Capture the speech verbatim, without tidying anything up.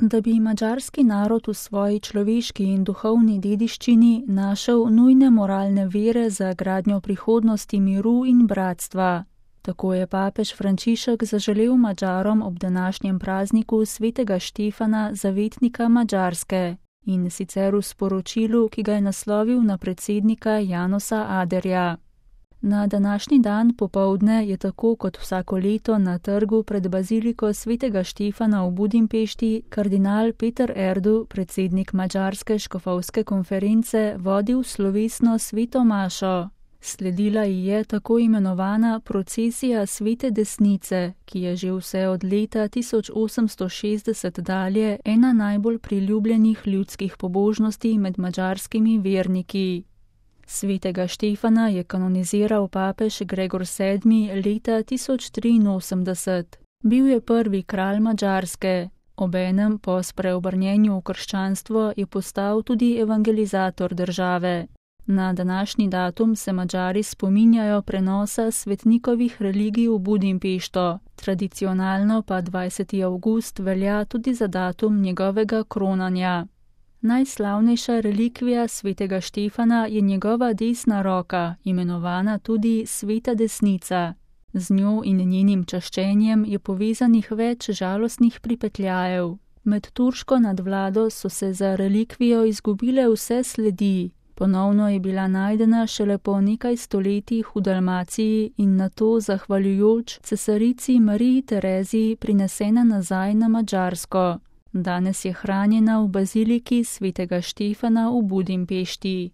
Da bi madžarski narod v svoji človeški in duhovni dediščini našel nujne moralne vire za gradnjo prihodnosti miru in bratstva. Tako je papež Frančišek zaželel Madžarom ob današnjem prazniku svetega Štefana, zavetnika Madžarske, in sicer v sporočilu, ki ga je naslovil na predsednika Janosa Aderja. Na današnji dan popoldne je tako kot vsako leto na trgu pred baziliko svetega Štefana v Budimpešti kardinal Peter Erdu, predsednik Madžarske škofovske konference, vodil slovesno sveto mašo. Sledila ji je tako imenovana procesija svete desnice, ki je že vse od leta tisoč osemsto šestdeset dalje ena najbolj priljubljenih ljudskih pobožnosti med madžarskimi verniki. Svetega Štefana je kanoniziral papež Gregor sedmi leta tisoč triinosemdeset. Bil je prvi kralj Madžarske. Obenem po spreobrnjenju v krščanstvo je postal tudi evangelizator države. Na današnji datum se Madžari spominjajo prenosa svetnikovih religij v Budimpešto, tradicionalno pa dvajseti avgust velja tudi za datum njegovega kronanja. Najslavnejša relikvija svetega Štefana je njegova desna roka, imenovana tudi sveta desnica. Z njo in njenim čaščenjem je povezanih več žalostnih pripetljajev. Med turško nadvlado so se za relikvijo izgubile vse sledi. Ponovno je bila najdena šele po nekaj stoletjih v Dalmaciji in nato, zahvaljujoč cesarici Mariji Tereziji, prinesena nazaj na Madžarsko. Danes je hranjena v baziliki svetega Štefana v Budimpešti.